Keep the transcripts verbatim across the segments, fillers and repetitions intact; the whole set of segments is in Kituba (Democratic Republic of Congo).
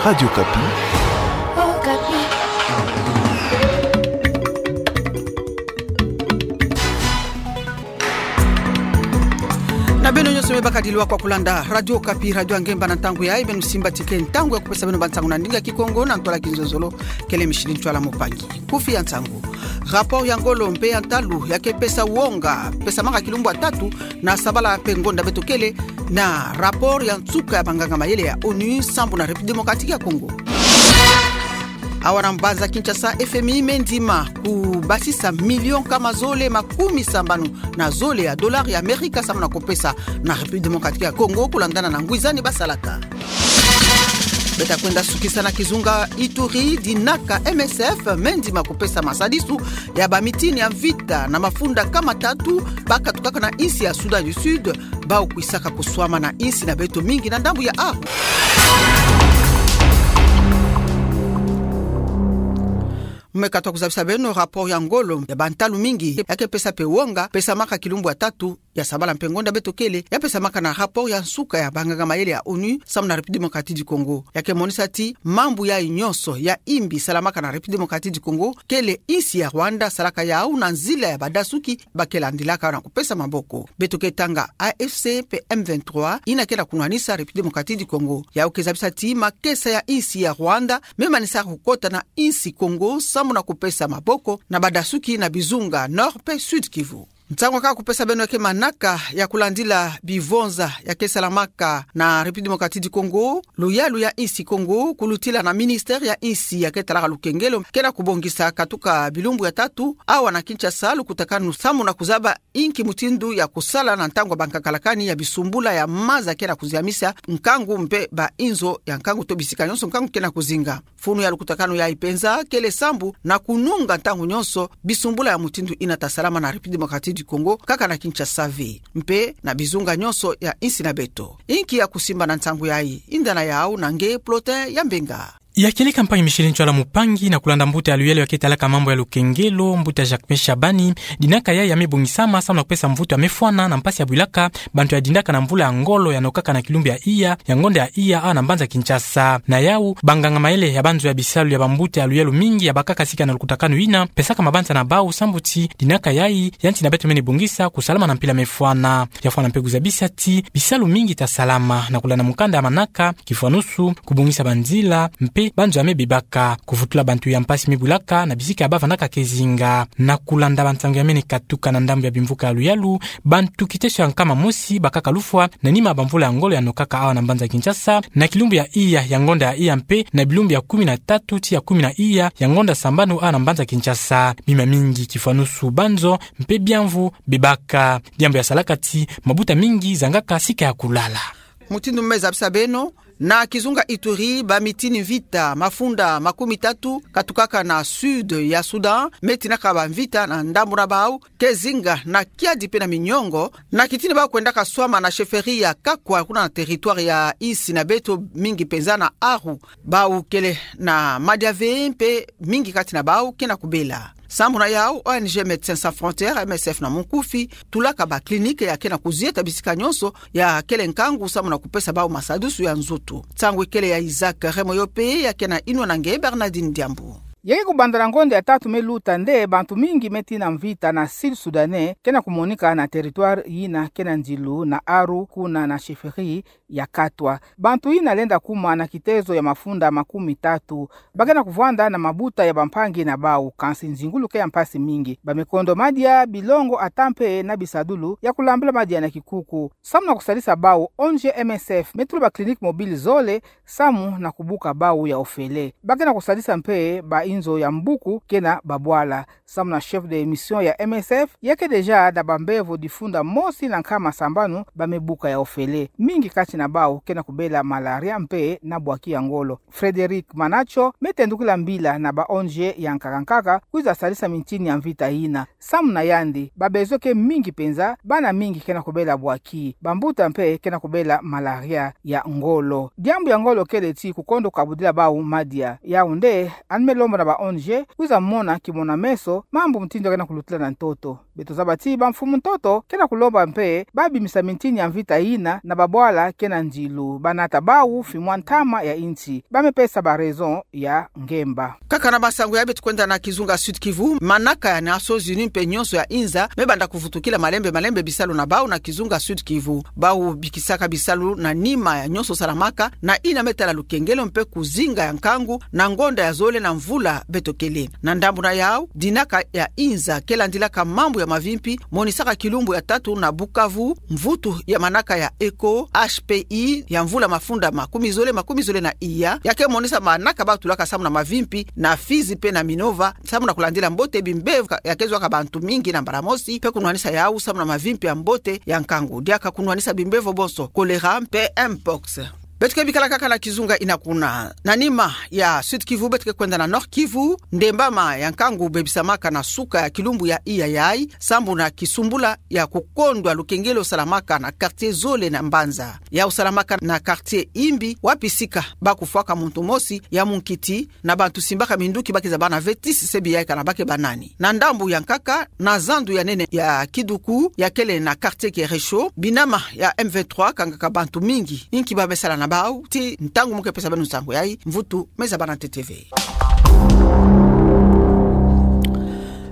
Radio Okapi. Okapi. Na beno nyonso me baka dilu kwa kulanda Radio Okapi, radio ya ngemba na ntangu yayi. Beno simba tika ntangu ya kupesa beno bansangu na ndinga Kikongo na ntwala Kinzonzolo. Kele Micheline Ntwala Mupangi. Kufi ya nsangu. Rapport ya ngolo mpe ya ntalu ya ke pesa wonga, pesamaka kilumbu ya tatu na sabala mpe ngonda beto kele, na rapport ya nsuka ya banganga mayele ya onu sambu na République Démocratique ya Congo. Awa na mbanza Kinshasa, F M I me ndima kubasisa million nkama zole makumi sambanu na zole ya dollars ya Amerika sambu na kupesa na République Démocratique ya Congo, kulandana na ngwizani basalaka. Beta kwenda sukisa na kizunga Ituri, dinaka M S F me ndima kupesa masadisu ya bamitini ya mvita na mafunda nkama tatu bakatukaka na insi ya Soudan du Sud, bau kwisaka kuswama na insi na beto mingi na ndambu ya Aru. Me ka twa kuzabisa beno rapport ya ngolo ya bantalu mingi ya ke pesa mpe wonga, pesamaka kilumbu ya tatu ya sabala mpe ngonda beto kele, ya pesamaka na rapport ya nsuka ya banganga mayele ya onu sambu na République Démocratique du Congo. Ya ke monisa ti mambu yayi nyonso ya imbi salamaka na République Démocratique du Congo, kele insi ya Rwanda salaka yau na nzila ya badasuki ba ke landilaka na kupesa maboko. Beto ke tanga A F C mpe M vingt-trois, yina ke na kunwanisa République Démocratique du Congo. Yau ke zabisa ti makesa ya insi ya Rwanda me manisa kukota na insi Congo sambu na kupesa maboko na badasuki na bizunga Nord mpe Sud Kivu. Nsangu kaka kupesa beno ke manaka ya kulandila bivonza ya ke salamaka na République Démocratique du Congo, luyalu ya insi Congo, kulutila na ministère ya insi ya ke talaka lukengelo, ke na kubongisa katuka bilumbu ya tatu awa na Kinshasa lukutakanu sambu na kuzaba inki mutindu ya kusala na ntangu ya bankakalakani ya bisumbula ya maza ke na kuziamisa nkangu mpe ba inzo ya nkangu to bisika nyonso nkangu ke na kuzinga. Funu ya lukutakanu yayi penza kele sambu na kununga ntangu nyonso bisumbula ya mutindu yina ta salama na République Démocratique du Congo, kaka na Kinshasa ve, mpe na bizunga nyonso ya insi na beto. Inki ya kusimba na nsangu yayi? Yinda na yau na nge Plotin ya Mbenga. Ya kieleka mpangi Micheline Ntwala Mupangi, na kulanda mbuta ya luyalu ya ke talaka mambu ya lukengelo, mbuta Jacques Meshabani, dinaka yayi ya me bongisama sambu na kupesa mvutu ya me fwana na mpasi ya bwilaka bantu ya dindaka na mvula ya ngolo ya nokaka na kilumbu ya iya, ya ngonda ya iya awa na mbanza Kinshasa. Na yau, banganga mayele ya banzo ya bisalu ya bambuta ya luyalu mingi ya bakaka sika na lukutakanu yina, pesaka mabanza na bau sambu ti dinaka yayi ya nsi na beto mene bongisa kusalama na mpila me fwana. Ya fwana mpe kuzabisa ti bisalu mingi ta salama na kulanda mukanda ya manaka, kifwanusu, kubongisa banzila, mpe banzo ya me bebaka, kuvutula bantu ya mpasi me bwilaka na bisika ya bavandaka ke zinga. Na kulanda bansangu ya mene katuka na ndambu ya bimvuka ya luyalu, bantu kiteso ya nkama mosi bakaka lufwa na nima ya bamvula ya ngolo ya nokaka awa na mbanza Kinshasa, na kilumbu ya iya, ya ngonda ya iya mpe na bilumbu ya kumi na tatu tii ya kumi na iya, ya ngonda sambanu awa na mbanza Kinshasa. Bima mingi kifwanusu banzo mpe biamvu bebaka. Diambu ya salaka ti mabuta mingi zangaka sika ya kulala. Mutindu me zabisa beno, na kizunga Ituri, bamitini mvita mafunda makumi tatu katukaka na sud ya Soudan, me tinaka bamvita na ndambu na bau ke zinga na kiadi mpe na miniongo, na kitini bau kwendaka swama na chefferie ya Kakwa, kuna na territoire ya insi na beto, mingi penza na Aru. Bau kele na madia ve mpe mingi kati na bau ke na kubela. Sambu na yau, O N G Médecins Sans Frontières, M S F na munkufi, tulaka ba clinique ya ke na kuzieta bisika nyonso ya kele nkangu sambu na kupesa bau masadusu ya nzutu. Nsangu ikele ya Isaac Remoyope, ya ke na inwa na nge Bernardine Diambu. Ya ke kubanda na ngonda ya tatu me luta nde, bantu mingi me tina mvita na Sud Soudanais ke na kumonika na territoire yina ke na nzilu na Aru, kuna na chefferie ya Katwa. Bantu yina lenda kuma na kitezo ya mafunda makumi tatu. Ba ke na kuvwanda na mabuta ya bampangi na bau, kansi nzingulu ke ya mpasi mingi. Ba me kondo madia, bilongo, ata mpe na bisadulu ya kulambula madia na kikuku. Samu na kusadisa bau, O N G M S F me tula ba clinique mobile zole samu na kubuka bau ya ofele. Ba ke na kusadisa mpe ba inzo ya mbuku ke na babwala. Samu na chef de mission ya M S F, ya ke deja na bambevo difunda mosi na nkama sambanu ba me buka ya ofele. Mingi kati na bau ke na kubela malaria mpe na bwaki ya ngolo. Frédéric Manacho me tendukila mbila na ba O N G ya nkaka nkaka kwiza sadisa mitini ya mvita yina. Samu na yandi, ba besoin ke mingi penza, bana mingi ke na kubela bwaki, bambuta mpe ke na kubela malaria ya ngolo. Diambu ya ngolo kele ti kukondo kabudila bau madia. Yau nde, yandi me lomba na ba O N G kwiza mona kimona-meso mambu mutindu ya ke na kulutila na ntoto. Beto zaba ti bamfumu ntoto ke na kulomba mpe babimisa mintini ya mvita yina na babwala ke na ndilu, banata bawu fimwa ntama ya insi. Ba me pesa ba raison ya ngemba. Kaka na bansangu ya beto kwenda na kizunga Sud-Kivu, manaka ya Nations Unies mpe nyonso ya inza me banda kuvutukila malembe malembe bisalu na bawu na kizunga Sud-Kivu. Bawu bikisaka bisalu na nima ya nyonso salamaka na yina me tala lukengelo mpe kuzinga ya nkangu na ngonda ya zole na mvula beto kele. Na ndambu na yawu, dinaka ya inza ke landilaka mambu ya mavimpi monisaka kilumbu ya tatu na Bukavu mvutu ya manaka ya Echo H P I ya mvula mafunda makumi zole, makumi zole na iya, ya ke monisa manaka ba tulaka samu na mavimpi na Fizi mpe na Minova, samu na kulandila mbote bimbevo ya ke zwaka bantu mingi na mbala mosi, mpe kunwanisa yawu samu na mavimpi ya mbote ya nkangu, diaka kunwanisa bimbevo bonso, choléra mpe mpox. Beto ke bikala kaka na kizunga yina kuna. Na nima ya Sud-Kivu, beto ke kwenda na Nord-Kivu, ndembama ya nkangu bebisamaka na suka ya kilumbu ya iya yayi, sambu na kisumbula ya kukondwa lukengelo salamaka na quartier zole na mbanza. Yawu salamaka na quartier Imbi, wapi sika ba kufwaka muntu mosi ya munkiti, na bantu simbaka minduki ba ke zaba na vetisi sebi yayi kana ba ke ba nani. Na ndambu ya nkaka, na zandu ya nene ya Kiduku, ya kele na quartier Keresho, binama ya M vingt-trois kangaka bantu mingi. Inki ba me sala na bawu, ti ntangu mu ke pesa beno nsangu yayi, mvutu me zaba na ntete ve.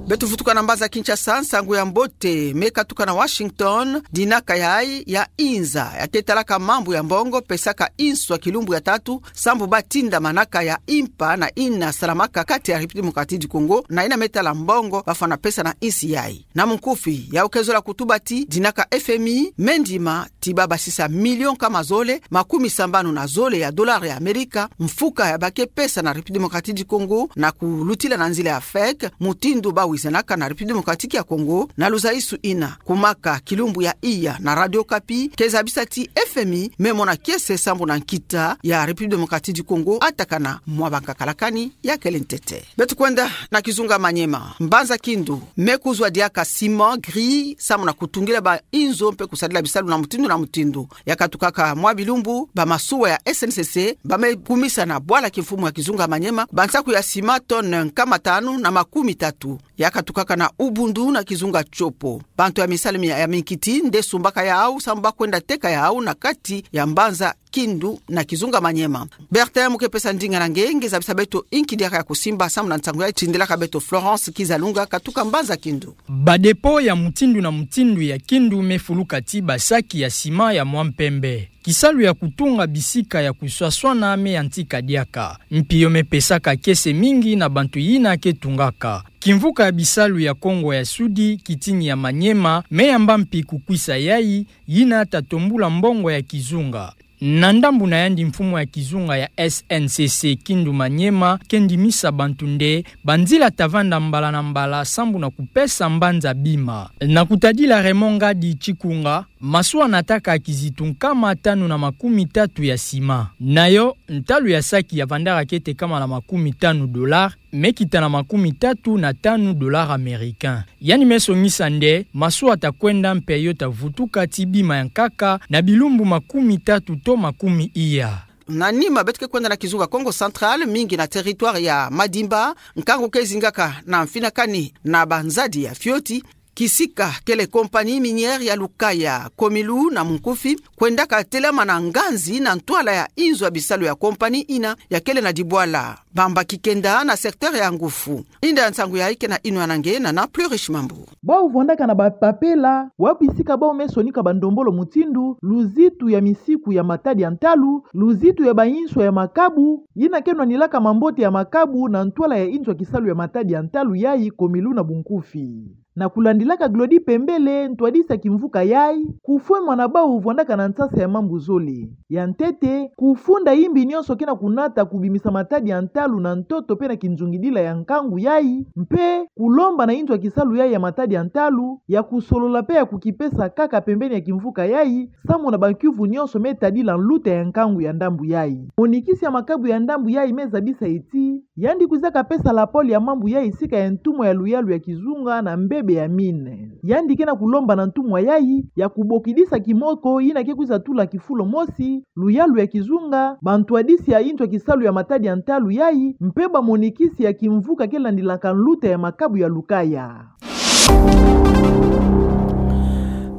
Beto vutuka na mbanza Kinshasa, nsangu ya mbote me katuka na Washington, dinaka yayi ya inza ya ke talaka mambu ya mbongo pesaka inswa kilumbu ya tatu, sambu ba tinda manaka ya impa na yina salamaka kati ya République Démocratique du Congo na yina me tala mbongo ba fwana pesa na insi yayi. Na munkufi, yawu ke zola kutuba ti dinaka F M I me ndima ti ba basisa million nkama zole, makumi sambanu na zole ya dollars ya Amerika, mfuka ya ba ke pesa na République Démocratique du Congo na kulutila na nzila ya FEC, mutindu ba wizanaka na République Démocratique ya Congo, na luzaisu yina, kumaka kilumbu ya iya na Radio Okapi, ke zabisa ti F M I me mona kiese sambu na nkita ya République Démocratique du Congo atakana mwa bankaka la kani ya kele ntete. Beto kwenda na kizunga Maniema. Mbanza Kindu me kuzwa diaka ciment gris, sambu na kutungila ba inzo mpe kusadila bisalu na mutindu na mutindu. Ya katukaka mwa bilumbu, ba masuwa ya S N C C ba me kumisa na bwala kimfumu ya kizunga Maniema bansaku ya ciment tonne nkama tanu na makumi tatu. Ya katukaka na Ubundu na kizunga Tshopo. Bantu ya misalu mia ya minkiti nde sumbaka yawu, sambu ba kwenda teka yawu na kati ya Mbanza Kindu na kizunga Maniema. Bertin mu ke pesa ndinga na nge, nge zabisa beto inki diaka ya kusimba sambu na nsangu yayi, tindelaka beto Florence Kizalunga katuka Mbanza Kindu. Ba dépôt ya mutindu na mutindu ya Kindu me fuluka ti ba saki ya ciment ya mwa mpembe. Kisalu ya kutunga bisika ya kuswaswana me yantika diaka. Mpio me pesaka kiese mingi na bantu yina ke tungaka. Kimvuka ya bisalu ya Kongo ya Sudi, kitini ya Maniema, me yamba mpi kukwisa yayi, yina ta tombula mbongo ya kizunga. Na ndambu na yandi, mfumu ya kizunga ya S N C C Kindu Maniema ke ndimisa bantu nde banzila ta vanda mbala na mbala sambu na kupesa mbanza bima. Na kutadila Raymond Ngadi Tshikunga, masuwa nataka kizitu nkama tanu na makumi tatu ya ciment. Na yo, ntalu ya saki ya vandaka kiete nkama na makumi tanu dollars, me kita na makumi tatu na tanu dollars américains. Yandi me songisa nde masuwa ta kwenda mpe yo ta vutuka ti bima ya nkaka na bilumbu makumi tatu to makumi iya. Na nima, beto ke kwenda na kizunga Kongo Central, mingi na territoire ya Madimba, nkangu ke zingaka na mfinakani na banzadi ya fioti. Kisika kele compagnie minière ya Lukaya, Comilu na munkufi, kwendaka telamana nganzi na ntwala ya inzo ya bisalu ya compagnie yina ya kele na dibwala Bambaki kenda na secteur ya Ngufu. Inda ya nsangu yayi ke na yinwa na nge, Nana Plurish Mambu. Bawu vwandaka na bapapela, wapi sika bawu me sonika bandombolo mutindu luzitu ya misiku ya matadi ya ntalu, luzitu ya bainswa ya makabu, yina ke nwanilaka mambote ya makabu na ntwala ya inzo ya kisalu ya matadi ya ntalu yayi, Comilu na bunkufi. Na kulandilaka Glody Pembele, ntwadisi ya kimvuka yayi, kufwemana bawu vwandaka na nsasa ya mambu zole. Ya ntete, kufunda yimbi nyonso ke na kunata kubimisa matadi ya ntalu na ntoto mpe na kinzungidila ya nkangu yayi, mpe kulomba na inzo ya kisalu yayi ya matadi ya ntalu ya kusolola mpe ya kukipesa kaka pembeni ya kimvuka yayi, samu na bankiuvu nyonso me tadila nluta ya nkangu ya ndambu yayi. Monikisi ya makabu ya ndambu yayi me zabisa ti Yandi kwizaka pesa lapole ya mambu yayi sika ya ntumwa ya luyalu ya kizunga na mbebe ya mine. Yandi ke na kulomba na ntumwa yayi ya kubokidisa kimoko ina ke kwiza tula kifulo mosi, luyalu ya kizunga, bantwadisi ya intu ya kisalu ya matadi ya ntalu yayi, mpe bamonikisi ya kimvuka ke landilaka nluta ya makabu ya lukaya.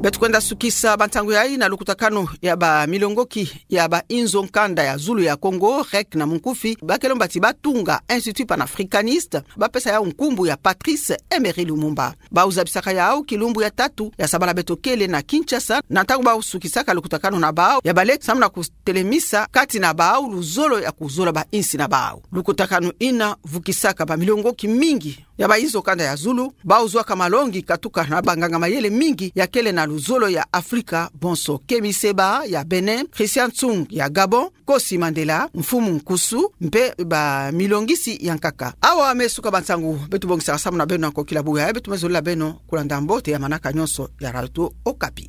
Beto kwenda sukisa bantangu yayi na lukutakanu ya bamilongoki ya bainzo nkanda ya zulu ya Kongo, REC na munkufi, ba ke lomba ti batunga Institut panafricaniste, ba pesa yau nkumbu ya Patrice Emery Lumumba. Bau zabisaka yau kilumbu ya tatu ya sabala beto kele na Kinshasa, na ntangu bau sukisaka lukutakanu na bau ya balendi samu na kutelemisa kati na bau luzolo ya kuzola bainsi na bau. Lukutakanu ina vukisaka bamilongoki mingi ya bainzo nkanda ya zulu, bau zwaka malongi katuka na banganga-mayele mingi ya kele na luzolo ya Afrika bonso, Kemi Seba ya Bénin, Christian Tsoung ya Gabon, Nkosi Mandela, Mfumu Nkusu, mpe bamilongisi ya nkaka. Awa me suka bantangu beto bongisaka samu na beno na kokila buya, beto me zolila beno kulanda mbote ya manaka nyonso ya Radio Okapi.